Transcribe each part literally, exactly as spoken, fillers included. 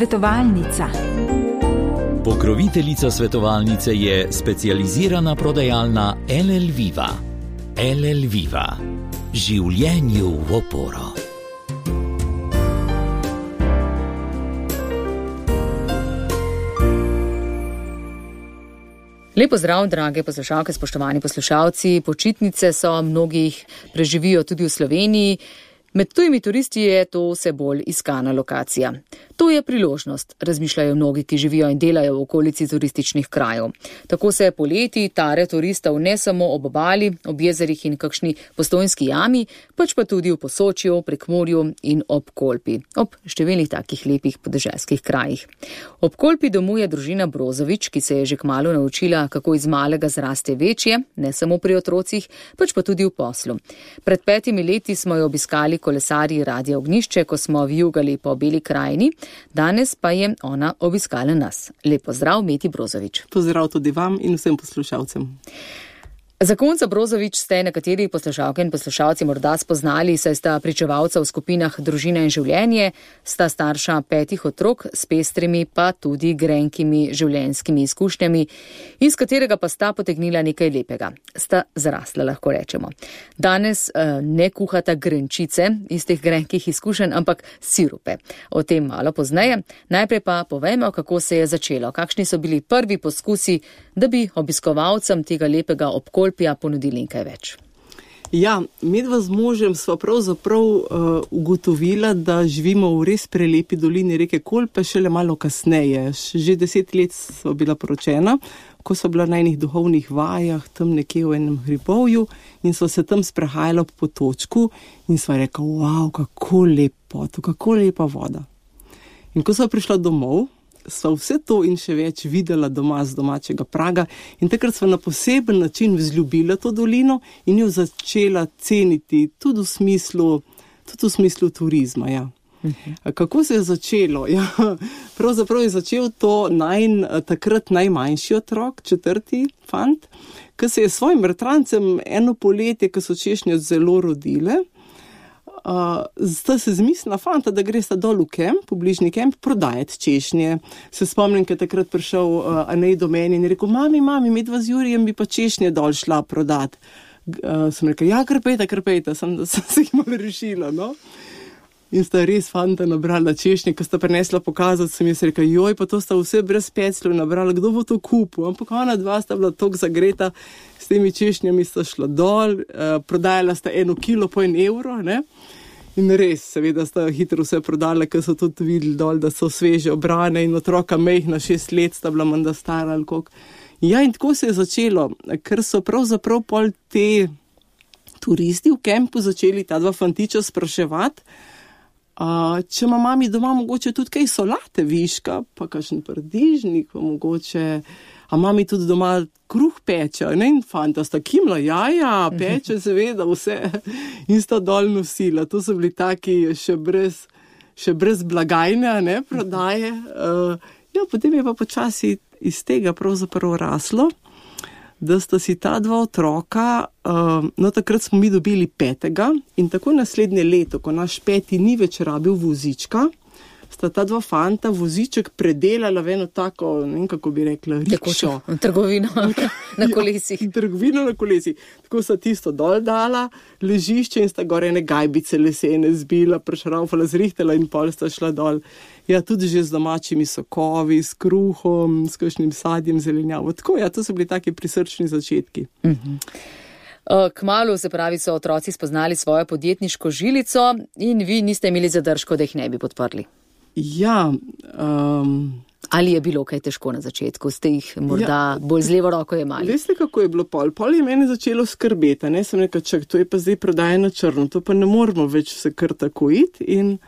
Svetovalnica. Pokroviteljica svetovalnice je specializirana prodajalna L L Viva. L L Viva. Življenju v oporo. Lepo zdrav, drage poslušalke, spoštovani poslušalci. Počitnice so mnogih preživijo tudi v Sloveniji. Med tujimi turisti je to vse bolj iskana lokacija. To je priložnost, razmišljajo mnogi, ki živijo in delajo v okolici turističnih krajev. Tako se poleti tare turistov ne samo ob obali, ob jezerih in kakšni Postojnski jami, pač pa tudi v Posočju, Prekmurju in ob Kolpi, ob številnih takih lepih podeželskih krajih. Ob Kolpi domuje družina Brozovič, ki se je že kmalu naučila, kako iz malega zraste večje, ne samo pri otrocih, pač pa tudi v poslu. Pred petimi leti smo jo obiskali kolesarji Radia Ognjišče, ko smo vijugali po Beli krajini, danes pa je ona obiskala nas. Lep pozdrav, Meti Brozovič. Pozdrav tudi vam in vsem poslušalcem. Zakonca Brozovič ste nekateri poslušalke in poslušalci morda spoznali, saj sta pričevalca v skupinah Družina in življenje, sta starša petih otrok s pestrimi pa tudi grenkimi življenjskimi izkušnjami, iz katerega pa sta potegnila nekaj lepega. Sta zrasla, lahko rečemo. Danes eh, ne kuhata grenčice iz teh grenkih izkušenj, ampak sirupe. O tem malo pozneje. Najprej pa povejmo, kako se je začelo, kakšni so bili prvi poskusi, da bi obiskovalcem tega lepega obkolja ponudili nekaj več. Ja, medva z možem sva pravzaprav uh, ugotovila, da živimo v res prelepi dolini reke Kolpe šele malo kasneje. Že deset let sva bila poročena, ko sva bila na enih duhovnih vajah, tam nekje v enem hribovju in sva se tam sprehajala po potočku in sva rekla, wow, kako lepo, to kako lepa voda. In ko sva prišla domov, sva vse to in še več videla doma z domačega praga in takrat sva na poseben način vzljubila to dolino in jo začela ceniti tudi v smislu, tudi v smislu turizma. Ja. Uh-huh. Kako se je začelo? Ja, pravzaprav je začel to najn, takrat najmanjši otrok, četrti fant, ki se je s svojim bratrancem eno poletje, ko so češnje zelo rodile, Uh, sta se zmislila fanta, da gre sta dol v kemp, v bližnji kemp, prodajati češnje. Se spomnim, ko je takrat prišel uh, Anej do meni in je rekel, mami, mami, medva z Jurijem bi pa češnje dol šla prodati. Uh, sem rekel, ja, krpejta, krpejta, sem, da sem se jih malo rešila, no. In sta res fanta nabrala češnje, ko sta prinesla pokazati, sem jaz rekel, joj, pa to sta vse brez pecljev nabrala, kdo bo to kupil? Ampak ona dva sta bila tok zagreta, s temi češnjami sta šla dol, uh, prodajala sta eno kilo po en evro, ne? In res, seveda sta hitro vse prodala, ker so tudi videli dol, da so sveže obrane in otroka mejhna šest let sta bila menda stara ali koliko. Ja, in tako se je začelo, ker so pravzaprav pol te turisti v kempu začeli ta dva fantiča spraševati, uh, če ima mami doma mogoče tudi kaj solate viška, pa kakšen paradižnik, pa mogoče, a mami tudi doma kruh peče, ne, in fanta sta kimla, ja, ja, peče seveda vse in sta dol nosila. To so bili taki še brez, še brez blagajne, ne, prodaje. Uh, ja, potem je pa počasi iz tega pravzaprav raslo, da sta si ta dva otroka, uh, no takrat smo mi dobili petega in tako naslednje leto, ko naš peti ni več rabil vozička, sta ta dva fanta voziček predelala v eno tako, ne vem, kako bi rekla, rikšo. Trgovino na kolesih. Ja, trgovino na kolesih. Tako sta tisto dol dala, ležišče in sta gore ene gajbice lesene zbila, prešraufala, zrihtala in pol sta šla dol. Ja, tudi že z domačimi sokovi, s kruhom, s kakšnim sadjem, zelenjavo. Tako, ja, to so bili taki prisrčni začetki. Uh-huh. Kmalu, se pravi, so otroci spoznali svojo podjetniško žilico in vi niste imeli zadržkov, da jih ne bi podprli. Ja. Um, Ali je bilo kaj težko na začetku? Ste jih morda ja, bolj z levo roko jemali? Veste, kako je bilo pol? Pol je mene začelo skrbeti, ne? Sem rekel, čak, to je pa zdaj prodaja na črno, to pa ne moramo več se kar tako iti in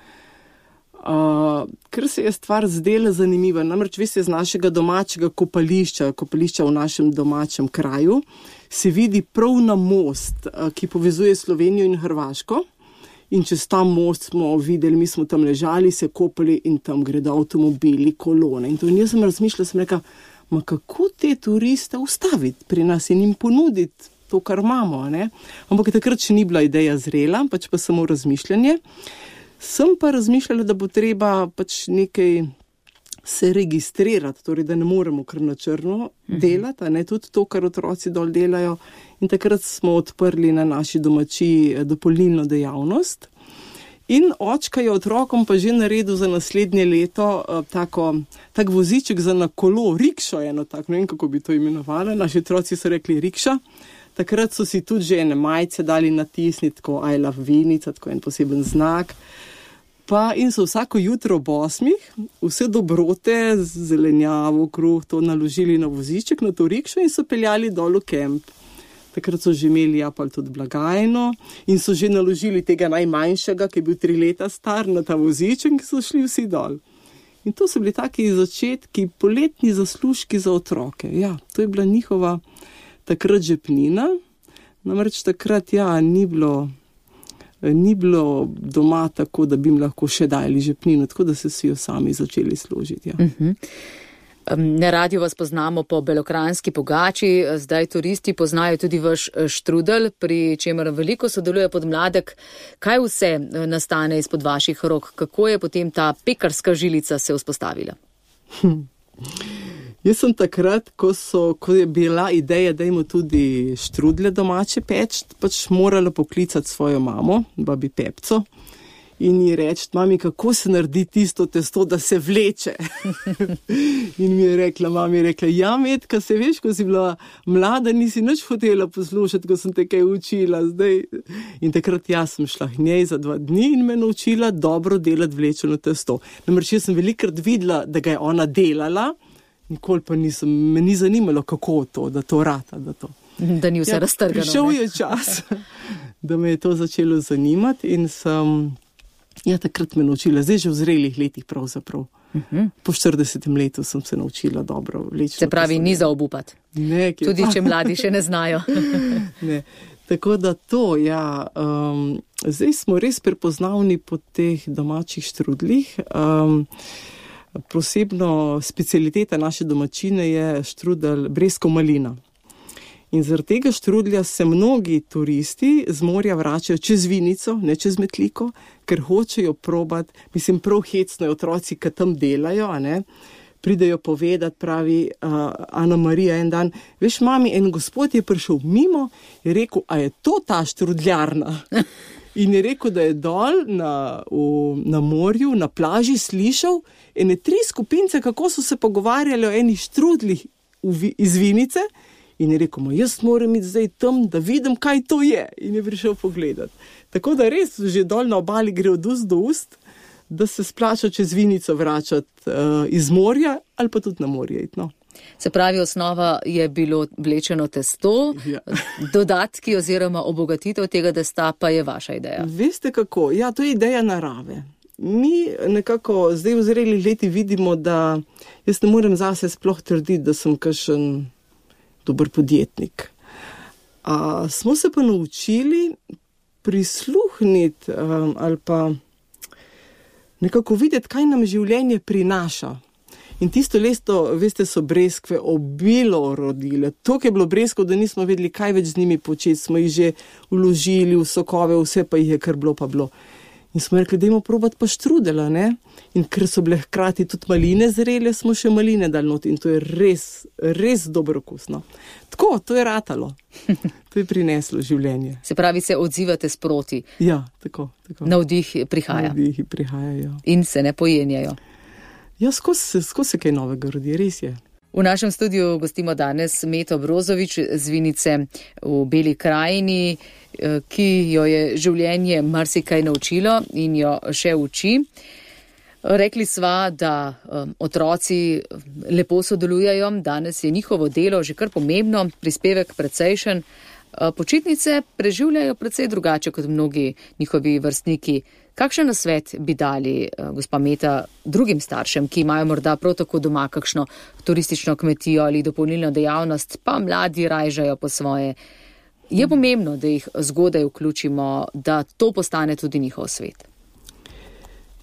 uh, ker se je stvar zdela zanimiva, namreč veste, z našega domačega kopališča, kopališča v našem domačem kraju, se vidi prav na most, uh, ki povezuje Slovenijo in Hrvaško. In čez ta most smo videli, mi smo tam ležali, se kopali in tam gredo avtomobili, kolone. In to in jaz sem razmišljala, sem rekla, ma kako te turiste ustaviti pri nas in jim ponuditi to, kar imamo, ne? Ampak takrat še ni bila ideja zrela, pač pa samo razmišljanje. Sem pa razmišljala, da bo treba pač nekaj se registrirati, torej da ne moremo kar na črno delati, a ne tudi to, kar otroci dol delajo. In takrat smo odprli na naši domačiji dopolnilno dejavnost. In očka je otrokom pa že naredil za naslednje leto uh, tako, tak voziček za na kolo, rikšo eno tak, ne vem, kako bi to imenovali. Naši otroci so rekli rikša. Takrat so si tudi že ene majice dali natisniti, tako I love Vinica, tako en poseben znak. Pa in so vsako jutro ob osmih vse dobrote, zelenjavo, kruh, to naložili na voziček, na to rikšo in so peljali dol v kemp. Takrat so že imeli japal tudi blagajno in so že naložili tega najmanjšega, ki je bil tri leta star, na ta voziček, ki so šli vsi dol. In to so bili taki začetki, poletni zaslužki za otroke. Ja, to je bila njihova takrat žepnina. Namreč takrat, ja, ni bilo, ni bilo doma tako, da bi jim lahko še dali žepnino, tako da se si jo sami začeli složiti. Ja. Uh-huh. Na radiju vas poznamo po belokranjski pogači, zdaj turisti poznajo tudi vaš štrudel, pri čemer veliko sodeluje podmladek. Kaj vse nastane izpod vaših rok? Kako je potem ta pekarska žilica se vzpostavila? Hm. Jaz sem takrat, ko, so, ko je bila ideja, da imamo tudi štrudle domače peč, pač morala poklicati svojo mamo, babi Pepco, in ji reči, mami, kako se naredi tisto testo, da se vleče. In mi je rekla, mami je rekla, ja, Metka, se veš, ko si bila mlada, nisi nič hotela poslušati, ko sem te kaj učila. Zdaj. In takrat jaz sem šla k njej za dva dni in me naučila dobro delati vlečeno testo. Namreč jaz sem velikrat videla, da ga je ona delala, nikoli pa nisem, me ni zanimalo, kako to, da to rata, da to. Da ni vse ja, raztrgano. Prišel je čas, da me je to začelo zanimati in sem, ja, takrat me naučila, zdaj že v zrelih letih pravzaprav. Uh-huh. Po štiridesetem letu sem se naučila dobro vlečno. Se pravi, ni za obupati. Ne, tudi če mladi še ne znajo. Ne. Tako da to, ja, um, zdaj smo res prepoznavni po teh domačih štrudlih. Um, Posebno specialiteta naše domačine je štrudel breskov malina. In zaradi tega štrudlja se mnogi turisti z morja vračajo čez Vinico, ne čez Metliko, ker hočejo probati, mislim, prav hecno je otroci, ki tam delajo, a ne, pridejo povedati, pravi uh, Ana Marija en dan, veš, mami, en gospod je prišel mimo in rekel, a je to ta štrudljarna? In je rekel, da je dol na, v, na morju, na plaži slišal ene tri skupince, kako so se pogovarjali o enih štrudlih v, iz Vinice. In je rekel, jaz moram iti zdaj tam, da vidim, kaj to je. In je prišel pogledati. Tako da res že dol na obali gre od ust do ust, da se splača čez Vinico vračati uh, iz morja ali pa tudi na morje iti, no. Se pravi, osnova je bilo vlečeno testo, ja. Dodatki oziroma obogatitev tega testa pa je vaša ideja. Veste kako? Ja, to je ideja narave. Mi nekako zdaj v zrelih letih vidimo, da jaz ne morem zase sploh trditi, da sem kakšen dober podjetnik. A, smo se pa naučili prisluhniti um, ali pa nekako videti, kaj nam življenje prinaša. In tisto leto, veste, so breskve obilo rodile. Toliko je bilo breskov, da nismo vedeli, kaj več z njimi početi. Smo jih že vložili v sokove, vse pa jih je kar bilo pa bilo. In smo rekli, dajmo probati pa štrudela, ne? In ker so bile hkrati tudi maline zrele, smo še maline dali not. In to je res, res dobro okusno. Tako, to je ratalo. To je prineslo življenje. Se pravi, se odzivate sproti. Ja, tako, tako. Navdih prihaja. Navdih prihajajo. In se ne pojenjajo. Ja, skozi se kaj novega rodi, res je. V našem studiu gostimo danes Meto Brozovič z Vinice v Beli krajini, ki jo je življenje marsikaj naučilo in jo še uči. Rekli sva, da um, otroci lepo sodelujejo, danes je njihovo delo že kar pomembno, prispevek precejšen. Počitnice preživljajo precej drugače kot mnogi njihovi vrstniki. Kakšen nasvet bi dali, gospa Meta, drugim staršem, ki imajo morda prav tako doma kakšno turistično kmetijo ali dopolnilno dejavnost, pa mladi rajžajo po svoje? Je pomembno, da jih zgodaj vključimo, da to postane tudi njihov svet?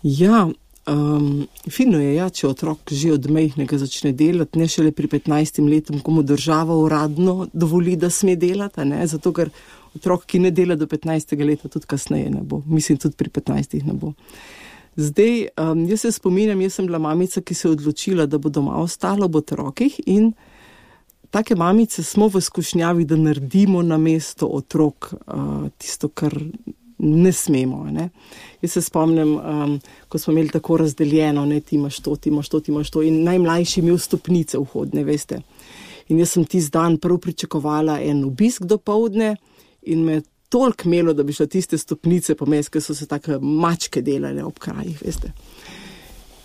Ja, um, fino je, ja, če otrok že od majhnega začne delati, ne šele pri petnajstem letu, ko mu država uradno dovoli, da sme delati, ne? Zato ker otrok, ki ne dela do petnajstega leta, tudi kasneje ne bo. Mislim, tudi pri petnajstih ne bo. Zdaj, um, jaz se spominjam, jaz sem bila mamica, ki se je odločila, da bo doma ostala ob otrokih in take mamice smo v skušnjavi, da naredimo na mesto otrok uh, tisto, kar ne smemo. Ne? Jaz se spomnim, um, ko smo imeli tako razdeljeno, ne, ti imaš to, ti imaš to, ti imaš to in najmlajši imel stopnice vhodne, veste. In jaz sem tisti dan prv pričakovala en obisk do povdne in me toliko imelo, da bi šla tiste stopnice pomesti, ker so se take mačke delale ob krajih, veste.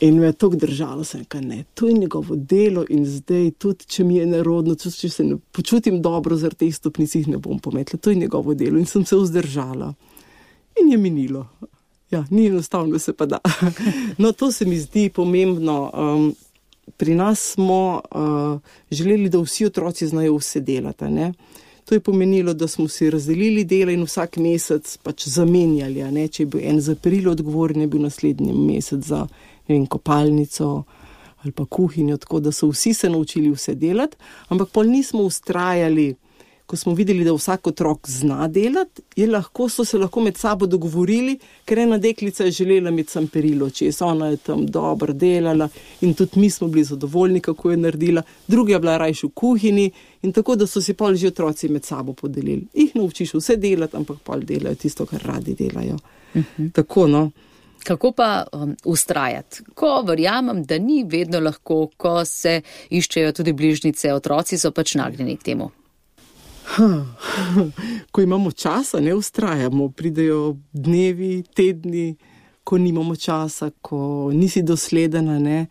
In me je toliko držalo, sem rekla, ne, to je njegovo delo in zdaj tudi, če mi je nerodno, tudi če se ne počutim dobro zaradi teh stopnic, jih ne bom pometla, to je njegovo delo in sem se vzdržala. In je minilo. Ja, ni enostavno, se pa da. No, to se mi zdi pomembno. Um, pri nas smo uh, želeli, da vsi otroci znajo vse delati, ne. To je pomenilo, da smo si razdelili dela in vsak mesec pač zamenjali, ne. Če je bil en za perilo odgovoren, je bil naslednji mesec za, ne vem, kopalnico ali pa kuhinjo, tako da so vsi se naučili vse delati, ampak pol nismo ustrajali. Ko smo videli, da vsak otrok zna delati, je lahko, so se lahko med sabo dogovorili, ker ena deklica je želela imeti sam perilo, čez ona je tam dobro delala in tudi mi smo bili zadovoljni, kako je naredila, druga je bila rajši v kuhinji in tako, da so si pol že otroci med sabo podelili. Ih naučiš vse delati, ampak pol delajo tisto, kar radi delajo. Uh-huh. Tako, no. Kako pa um, ustrajati? Ko verjamem, da ni vedno lahko, ko se iščejo tudi bližnjice, otroci so pač nagnjeni k temu. Ko imamo časa, ne ustrajamo, pridejo dnevi, tedni, ko nimamo časa, ko nisi dosledena, ne.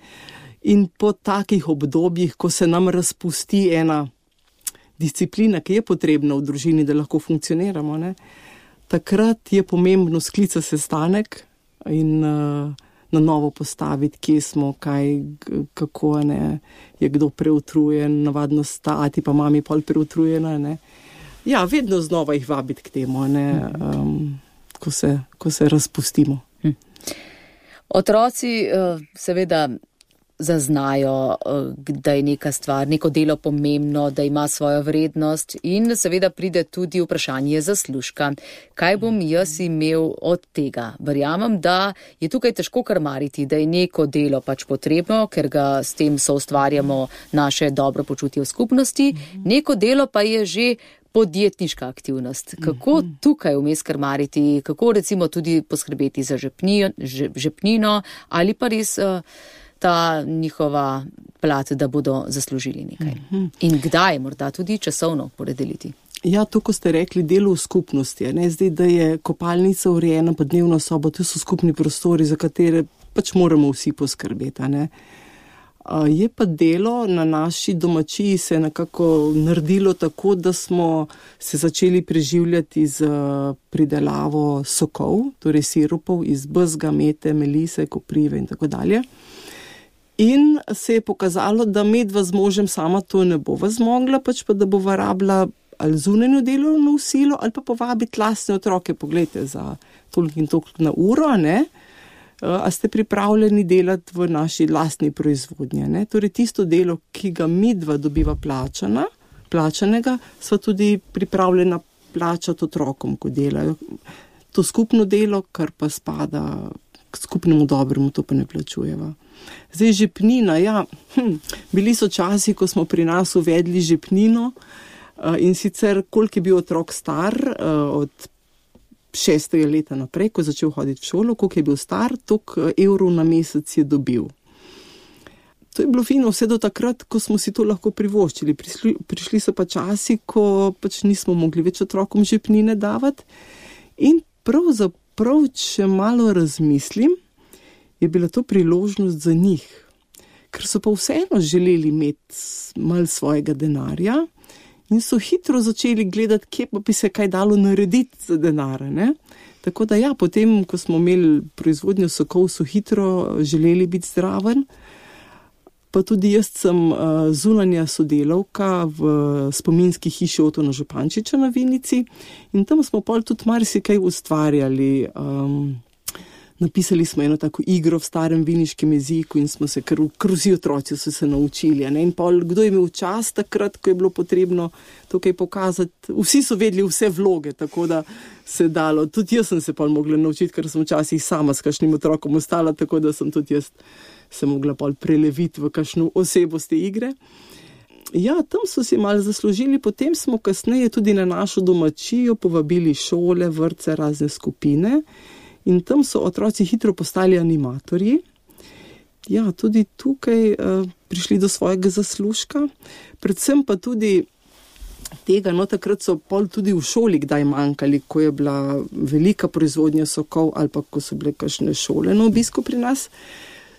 In po takih obdobjih, ko se nam razpusti ena disciplina, ki je potrebna v družini, da lahko funkcioniramo, ne, takrat je pomembno sklica sestanek in uh, na novo postaviti, kje smo, kaj, kako, ne, je kdo preutrujen, navadno stati, pa mami pol preutrujena, ne. Ja, vedno znova jih vabiti k temu, ne, um, ko se, ko se razpustimo. Hm. Otroci uh, seveda zaznajo, da je neka stvar, neko delo pomembno, da ima svojo vrednost in seveda pride tudi vprašanje zaslužka. Kaj bom jaz imel od tega? Verjamem, da je tukaj težko krmariti, da je neko delo pač potrebno, ker ga s tem soustvarjamo naše dobro počutje v skupnosti, neko delo pa je že podjetniška aktivnost. Kako tukaj vmes krmariti, kako recimo tudi poskrbeti za žepnino, žepnino ali pa res ta njihova plat, da bodo zaslužili nekaj. In kdaj morda tudi časovno poredeliti? Ja, to, ko ste rekli, delo v skupnosti. Ne? Zdaj, da je kopalnica urejena, pa dnevna soba, to so skupni prostori, za katere pač moramo vsi poskrbeti. Ne? Je pa delo na naši domačiji se nekako naredilo tako, da smo se začeli preživljati z pridelavo sokov, torej sirupov iz bezga, mete, melise, koprive in tako dalje. In se je pokazalo, da medva z možem sama to ne bova zmogla, pač pa da bova rabila ali zunanjo delovno silo ali pa povabiti lastne otroke, poglejte, za toliko in toliko na uro, ne? A ste pripravljeni delati v naši lastni proizvodnji, ne? Torej tisto delo, ki ga midva dobiva plačana, plačanega, sva tudi pripravljena plačati otrokom, ko delajo. To skupno delo, kar pa spada k skupnemu dobremu, to pa ne plačujeva. Zdaj žepnina, ja, hm, bili so časi, ko smo pri nas uvedli žepnino in sicer koliko je bil otrok star od šestega leta naprej, ko je začel hoditi v šolo, koliko je bil star, toliko evrov na mesec je dobil. To je bilo fino vse do takrat, ko smo si to lahko privoščili. Prišli, prišli so pa časi, ko pač nismo mogli več otrokom žepnine davati in pravzaprav, če malo razmislim, je bila to priložnost za njih, ker so pa vseeno želeli imeti malo svojega denarja in so hitro začeli gledati, kje pa bi se kaj dalo narediti za denar, ne? Tako da ja, potem, ko smo imeli proizvodnjo sokov, so hitro želeli biti zraven, pa tudi jaz sem uh, zunanja sodelavka v spominski hiši Otona Župančiča na Vinici in tam smo pol tudi marsikaj ustvarjali. Um, napisali smo eno tako igro v starem viniškem jeziku in smo se, kar vsi otroci so se naučili. Ne? In pol, kdo je imel čas takrat, ko je bilo potrebno tukaj pokazati. Vsi so vedeli vse vloge, tako da se dalo. Tudi jaz sem se pol mogla naučiti, ker sem včasih sama s kakšnim otrokom ostala, tako da sem tudi jaz se mogla pol preleviti v kakšno osebo z te igre. Ja, tam so si malo zaslužili, potem smo kasneje tudi na našo domačijo povabili šole, vrtce, razne skupine in tam so otroci hitro postali animatorji. Ja, tudi tukaj uh, prišli do svojega zaslužka, predvsem pa tudi tega, no takrat so pol tudi v šoli kdaj manjkali, ko je bila velika proizvodnja sokov ali pa ko so bile kakšne šole na obisku pri nas.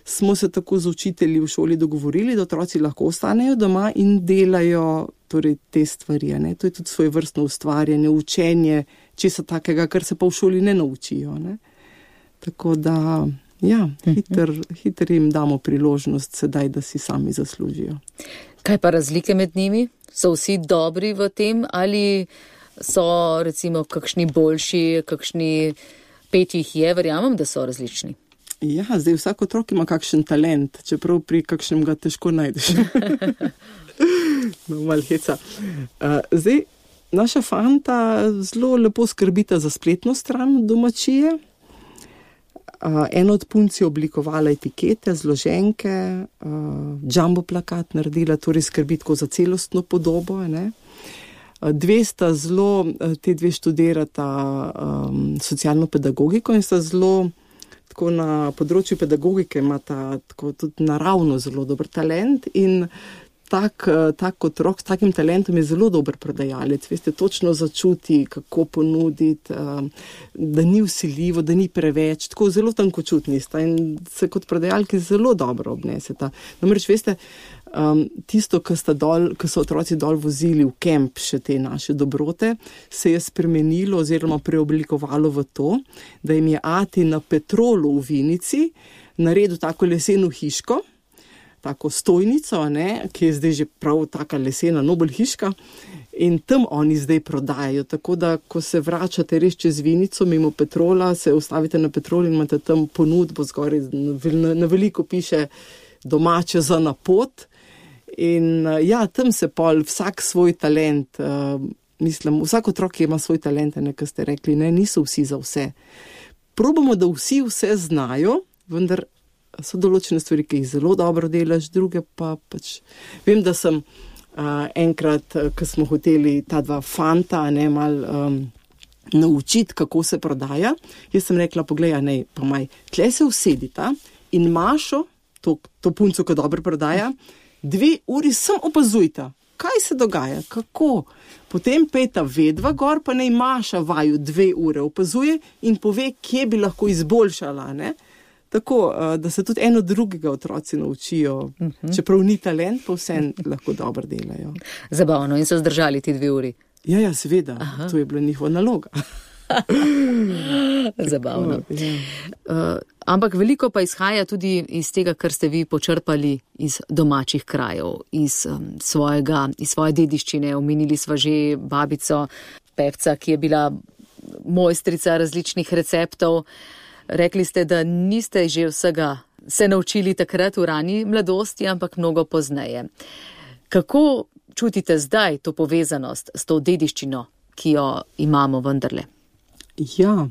Smo se tako z učitelji v šoli dogovorili, da otroci lahko ostanejo doma in delajo torej, te stvari. Ne? To je tudi svoje vrstno ustvarjanje, učenje, česa takega, kar se pa v šoli ne naučijo. Ne? Tako da, ja, hiter, hiter jim damo priložnost sedaj, da si sami zaslužijo. Kaj pa razlike med njimi? So vsi dobri v tem ali so recimo kakšni boljši, kakšni pet jih je, verjamem, da so različni? Ja, zdaj vsak otrok ima kakšen talent, čeprav pri kakšnem ga težko najdeš. No, malo heca. Uh, zdaj, naša fanta zelo lepo skrbita za spletno stran domačije. Uh, en od punc je oblikovala etikete, zloženke, uh, jumbo plakat naredila, torej skrbi tako za celostno podobo. Ne? Uh, dve sta zelo, te dve študirata um, socialno pedagogiko in sta zelo tako na področju pedagogike imata tako tudi naravno zelo dober talent in tak, tak otrok s takim talentom je zelo dober prodajalec. Veste, točno začuti, kako ponuditi, da ni vsiljivo, da ni preveč, tako zelo tankočutni sta in se kot prodajalki zelo dobro obneseta. Namreč, veste, Um, tisto, ko so otroci dol vozili v kemp še te naše dobrote, se je spremenilo oziroma preoblikovalo v to, da jim je ati na Petrolu v Vinici naredil tako leseno hiško, tako stojnico, ne, ki je zdaj že prav taka lesena Nobel hiška in tam oni zdaj prodajajo. Tako da, ko se vračate res čez Vinico mimo Petrola, se ustavite na Petrol in imate tam ponudbo zgoraj, na, na veliko piše domače za na pot. In ja, tam se pol vsak svoj talent, uh, mislim, vsak otrok ima svoj talent, nekaj ste rekli, ne, niso vsi za vse. Probamo, da vsi vse znajo, vendar so določene stvari, ki jih zelo dobro delaš, druge pa pač. Vem, da sem uh, enkrat, ko smo hoteli ta dva fanta, ne, mal um, naučiti, kako se prodaja, jaz sem rekla, poglej, ne, pa maj, tle se usedita in Mašo, to, to punco, ko dobro prodaja, dve uri sem opazujta, kaj se dogaja, kako. Potem pejta vedva gor, pa naj Maša vaju dve ure opazuje in pove, kje bi lahko izboljšala. Ne? Tako, da se tudi eno drugega otroci naučijo, uh-huh. Čeprav ni talent, pa vse lahko dobro delajo. Zabavno, in so zdržali ti dve uri? Ja, ja, seveda, aha. To je bila njihova naloga. Zabavno. Uh, ampak veliko pa izhaja tudi iz tega, kar ste vi počrpali iz domačih krajev, iz, um, svojega, iz svoje dediščine. Omenili sva že babico pevca, ki je bila mojstrica različnih receptov. Rekli ste, da niste že vsega se naučili takrat v rani mladosti, ampak mnogo pozneje. Kako čutite zdaj to povezanost s to dediščino, ki jo imamo vendarle? Ja,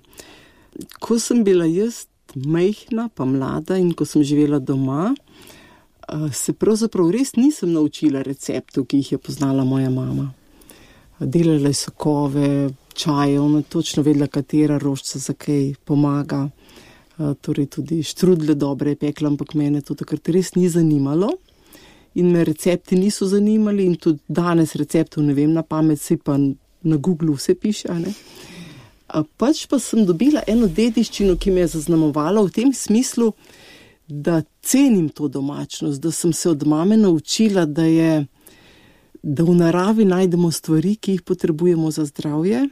ko sem bila jaz majhna pa mlada in ko sem živela doma, se pravzaprav res nisem naučila receptov, ki jih je poznala moja mama. Delala je sokove, čaje, ona točno vedela, katera rožica za kaj pomaga. Torej tudi štrudle dobre je pekla, ampak mene to takrat res ni zanimalo in me recepti niso zanimali in tudi danes receptov ne vem na pamet, se pa na Google vse piše, a ne? Pač pa sem dobila eno dediščino, ki me je zaznamovala v tem smislu, da cenim to domačnost, da sem se od mame naučila, da je, da v naravi najdemo stvari, ki jih potrebujemo za zdravje,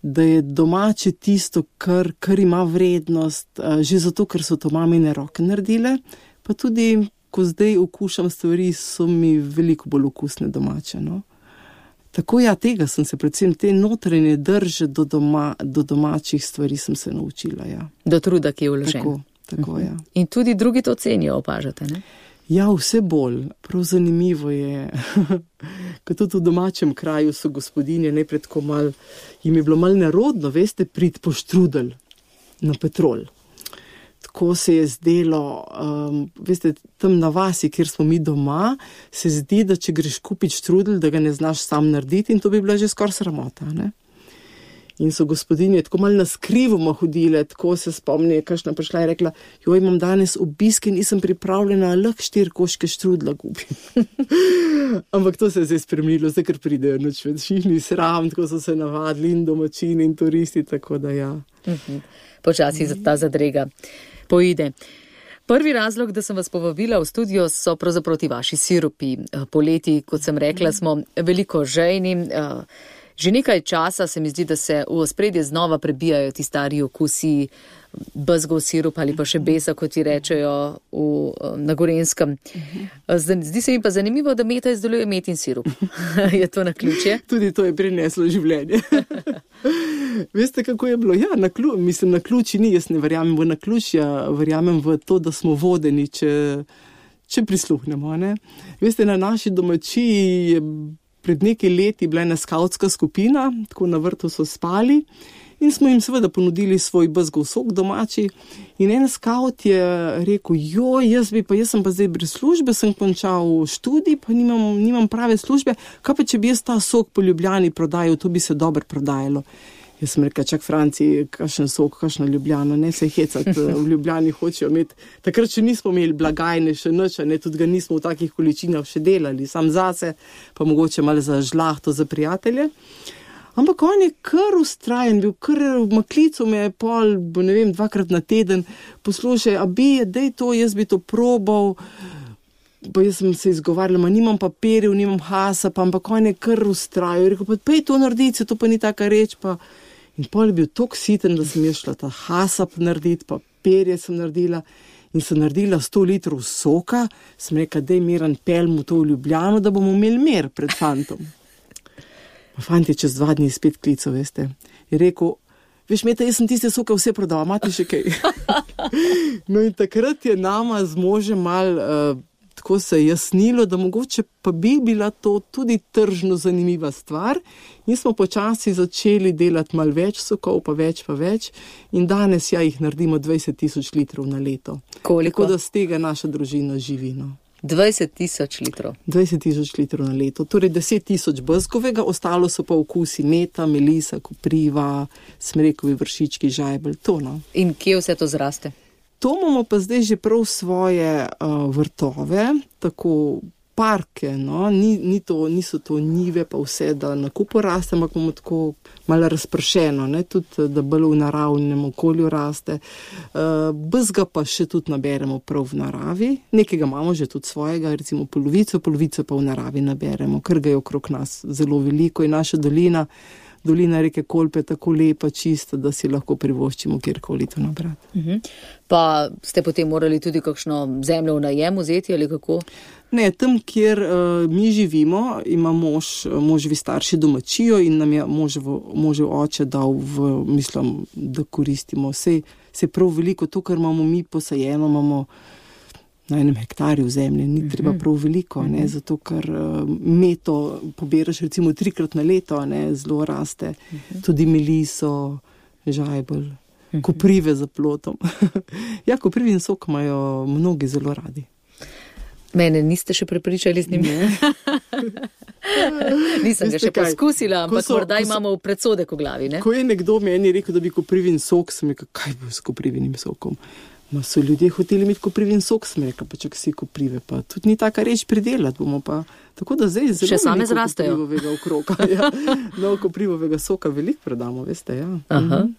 da je domače tisto, kar, kar ima vrednost, že zato, ker so to mamine roke naredile, pa tudi, ko zdaj okušam stvari, so mi veliko bolj okusne domače, no. Tako ja, tega sem se, predvsem te notranje drže do, doma, do domačih stvari sem se naučila, ja. Do truda, ki je vložen. Tako, tako, ja. In tudi drugi to cenijo, opažate, ne? Ja, vse bolj. Prav zanimivo je, ko tudi v domačem kraju so gospodinje najprej tako mal, jim je bilo mal nerodno, veste, prid po štrudel na Petrol. Tako se je zdelo, um, veste, tam na vasi, kjer smo mi doma, se zdi, da če greš kupiti štrudel, da ga ne znaš sam narediti in to bi bila že skoraj sramota, ne? In so gospodinje tako malo naskrivoma hodile, tako se spomni, kakšna prišla in rekla, joj, imam danes obisk in nisem pripravljena, lahko štiri koške štrudla kupim. Ampak to se je zdaj spremenilo, zdaj ker pridejo noč več, ni sram, tako so se navadili in domačini in turisti, tako da ja. Uh-huh. Počasi ta zadrega poide. Prvi razlog, da sem vas povabila v studio, so pravzaprav ti vaši sirupi. Poleti, kot sem rekla, smo veliko žejni. Že nekaj časa se mi zdi, da se v ospredje znova prebijajo ti stari okusi, bezgov sirup ali pa še besa, kot ti rečejo v, na Gorenjskem. Zdi se mi pa zanimivo, da Meta izdeluje metin sirup. Je to naključje? Tudi to je prineslo življenje. Veste, kako je bilo? Ja, naklju, mislim, naključi ni, jaz ne verjamem v naključja, verjamem v to, da smo vodeni, če, če prisluhnemo. Ne? Veste, na naši domačiji je pred nekaj leti bila ena skavtska skupina, tako na vrtu so spali in smo jim seveda ponudili svoj bezgov sok domači in en skavt je rekel, joj, jaz bi pa, jaz sem pa zdaj brez službe, sem končal študij, pa nimam, nimam prave službe, kaj pa če bi jaz ta sok po Ljubljani prodajal, to bi se dobro prodajalo. Jaz sem rekel, čak Franciji, kakšen sok, kakšna Ljubljana, ne se hecati, v Ljubljani hočejo imeti. Takrat še nismo imeli blagajne, še nič, ne, tudi ga nismo v takih količinah še delali, sam zase, pa mogoče malo za žlahto, za prijatelje. Ampak on je kar ustrajen bil, kar v maklicu me je pol, ne vem, dvakrat na teden, poslušaj, a bi, dej to, jaz bi to probal, pa jaz sem se izgovarjala, ma nimam papirjev, nimam hasa, pa ampak on je kar ustrajal, rekel, pa pej to narediti, to pa ni taka reč, pa in pol je bil tok siten, da sem jaz šla ta hasap narediti, papirje sem naredila in sem naredila sto litrov soka, sem rekla, dej Miran, pelmu to v Ljubljano, da bomo imeli mer pred fantom. Pa fant je čez dva dni spet klical, veste, je rekel, veš, Meta, jaz sem tiste soke vse prodala, imate še kaj? No in takrat je nama z možem mal uh, tako se je jasnilo, da mogoče pa bi bila to tudi tržno zanimiva stvar in smo počasi začeli delati malo več sokov, pa več, pa več in danes ja jih naredimo dvajset tisoč litrov na leto. Koliko? Tako da z tega naša družina živi, no. dvajset tisoč litrov. dvajset tisoč litrov na leto, torej deset tisoč bezgovega, ostalo so pa okusi meta, melisa, kopriva, smrekovi vršički, žajbelj, to no. In kje vse to zraste? To imamo pa zdaj že prav svoje uh, vrtove, tako parke, no, ni, ni to, niso to njive pa vse, da na kupu raste, ampak imamo tako malo razpršeno, ne, tudi da bolj v naravnem okolju raste. Uh, bezga pa še tudi naberemo prav v naravi, nekega imamo že tudi svojega, recimo polovico, polovico pa v naravi naberemo, ker ga je okrog nas zelo veliko in naša dolina, dolina reke Kolpe je tako lepa, čista, da si lahko privoščimo kjerkoli to nabrati. Uh-huh. Pa ste potem morali tudi kakšno zemljo v najem vzeti ali kako? Ne, tam, kjer uh, mi živimo, ima mož, moževi starši domačijo in nam je možev, možev oče dal v, mislim, da koristimo. Sej, sej prav veliko, to, kar imamo mi posajeno, imamo na enem hektarju zemlje, ni treba prav veliko, ne, zato ker uh, meto poberaš recimo trikrat na leto, ne, zelo raste, tudi meliso, žajbelj, koprive za plotom. Ja, koprivin sok imajo mnogi zelo radi. Mene niste še prepričali z njim? Nisem ga še kaj poskusila, ampak so, morda imamo so, predsodek v glavi, ne? Ko je nekdo meni rekel, da bi koprivin sok, sem rekel, kaj bo s koprivinim sokom? Ma so ljudje hoteli imeti koprivin sok, sem rekel, pa čak si koprive, pa tudi ni taka reč pridelati, bomo pa, tako da zdaj zelo še same zrastejo. Koprivovega okroka, ja. No, koprivovega soka veliko predamo, veste, ja. Aha.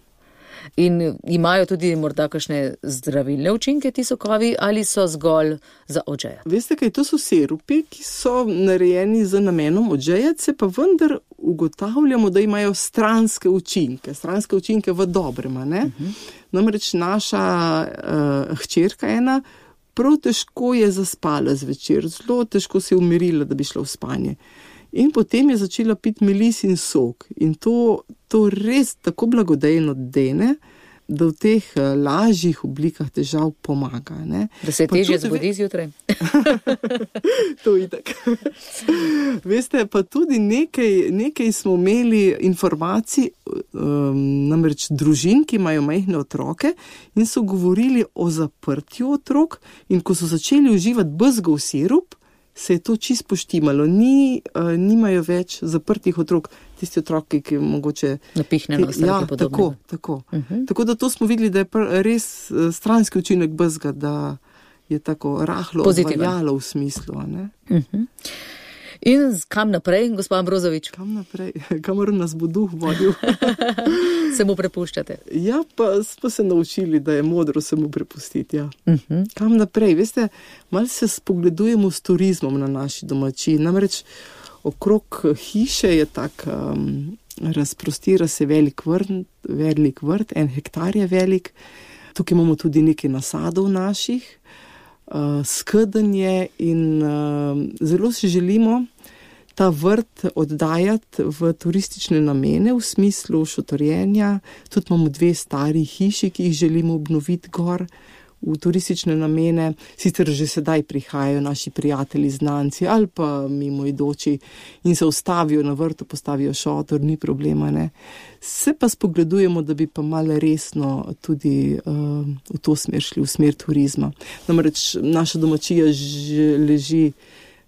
In imajo tudi morda kakšne zdravilne učinke ti sokovi ali so zgolj za odžejati? Veste kaj, to so sirupi, ki so narejeni z namenom odžejati se, pa vendar ugotavljamo, da imajo stranske učinke, stranske učinke v dobrem, ne? Uh-huh. Namreč naša uh, hčerka ena prav težko je zaspala zvečer, zelo težko se je umirila, da bi šla v spanje. In potem je začela piti melis in sok. In to, to res tako blagodejno dene, da v teh lažjih oblikah težav pomaga. Ne? Da se težje zbudi zjutraj. To itak. Veste, pa tudi nekaj, nekaj smo imeli informacij, um, namreč družin, ki imajo majhne otroke in so govorili o zaprtju otrok, in ko so začeli uživati bezgov sirup, se je to čisto poštimalo. Ni, uh, nimajo več zaprtih otrok, tisti otroki, ki mogoče... Napihnjeno, ja, tako, tako. Uh-huh. Tako da to smo videli, da je res stranski učinek bezga, da je tako rahlo odvaljalo v smislu. Ne? Uh-huh. In kam naprej, gospod Ambrozovič? Kam naprej? Kamor nas bo duh vodil. Se mu prepuščate? Ja, pa smo se naučili, da je modro se mu prepustiti. Ja. Uh-huh. Kam naprej? Veste, malo se spogledujemo s turizmom na naši domačiji. Namreč okrog hiše je tak, um, razprostira se velik vrt, velik vrt, en hektar je velik. Tukaj imamo tudi nekaj nasadov naših, uh, skedenje in uh, zelo si želimo ta vrt oddajati v turistične namene, v smislu šotorjenja. Tudi imamo dve stari hiši, ki jih želimo obnoviti gor v turistične namene. Sicer že sedaj prihajajo naši prijatelji, znanci ali pa mimoidoči in se ustavijo na vrtu, postavijo šotor, ni problema, ne. Se pa spogledujemo, da bi pa malo resno tudi uh, v to smer šli, v smer turizma. Namreč naša domačija že leži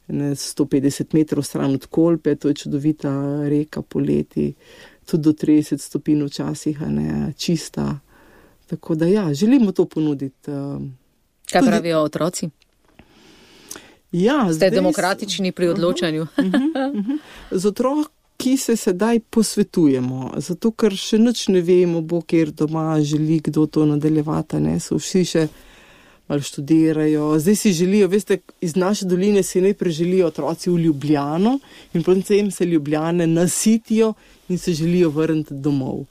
ne, sto petdeset metrov stran od Kolpe, to je čudovita reka poleti, tudi do trideset stopinj včasih, a ne, čista. Tako da ja, želimo to ponuditi. Uh, Kaj tudi... pravijo otroci? Ja, Ste zdaj... demokratični pri odločanju? Uh-huh, uh-huh, uh-huh. Z otroki se sedaj posvetujemo, zato ker še nič ne vemo, bo kjer doma želi kdo to nadaljevati, ne, so vsi še malo študirajo. Zdaj si želijo, veste, iz naše doline si najprej želijo otroci v Ljubljano in potem se Ljubljane nasitijo in se želijo vrniti domov.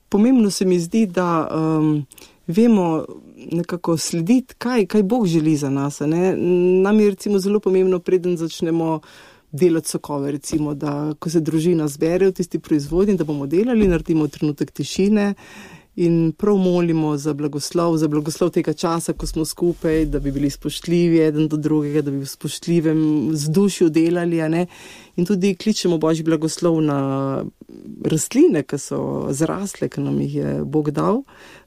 Pomembno se mi zdi, da um, vemo nekako slediti, kaj, kaj Bog želi za nas. Ne? Nam je recimo zelo pomembno, preden začnemo delati sokove, recimo, da ko se družina zbere v tisti proizvodnji, da bomo delali, naredimo trenutek tišine in prav molimo za blagoslov, za blagoslov tega časa, ko smo skupaj, da bi bili spoštljivi eden do drugega, da bi v spoštljivem vzdušju delali, a ne? In tudi kličemo Božji blagoslov na rastline, ki so zrasle, ki nam jih je Bog dal,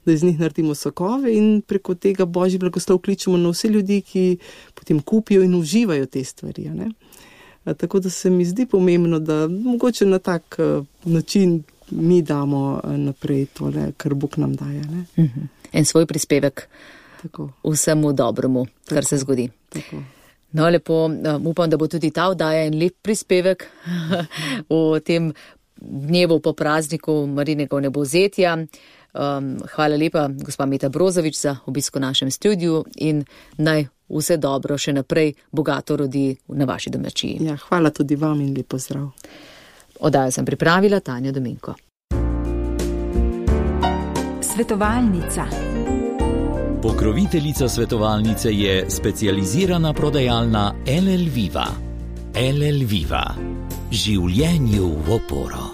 da iz njih naredimo sokove in preko tega Božji blagoslov kličemo na vse ljudi, ki potem kupijo in uživajo te stvari, a ne? A, tako da se mi zdi pomembno, da mogoče na tak uh, način mi damo naprej tole, kar Bog nam daje. Ne? Uh-huh. En svoj prispevek tako. Vsemu dobremu, tako, kar se zgodi. Tako. No, lepo, um, upam, da bo tudi ta oddaja en lep prispevek v tem dnevu po prazniku Marijinega vnebovzetja. Um, hvala lepa, gospa Meta Brozovič, za obisk v našem studiu in naj vse dobro še naprej bogato rodi na vaši domačiji. Ja, hvala tudi vam in lep pozdrav. Oddajo sem pripravila Tanja Dominko. Svetovalnica. Pokroviteljica svetovalnice je specializirana prodajalna L L Viva. L L Viva. Življenju v oporo.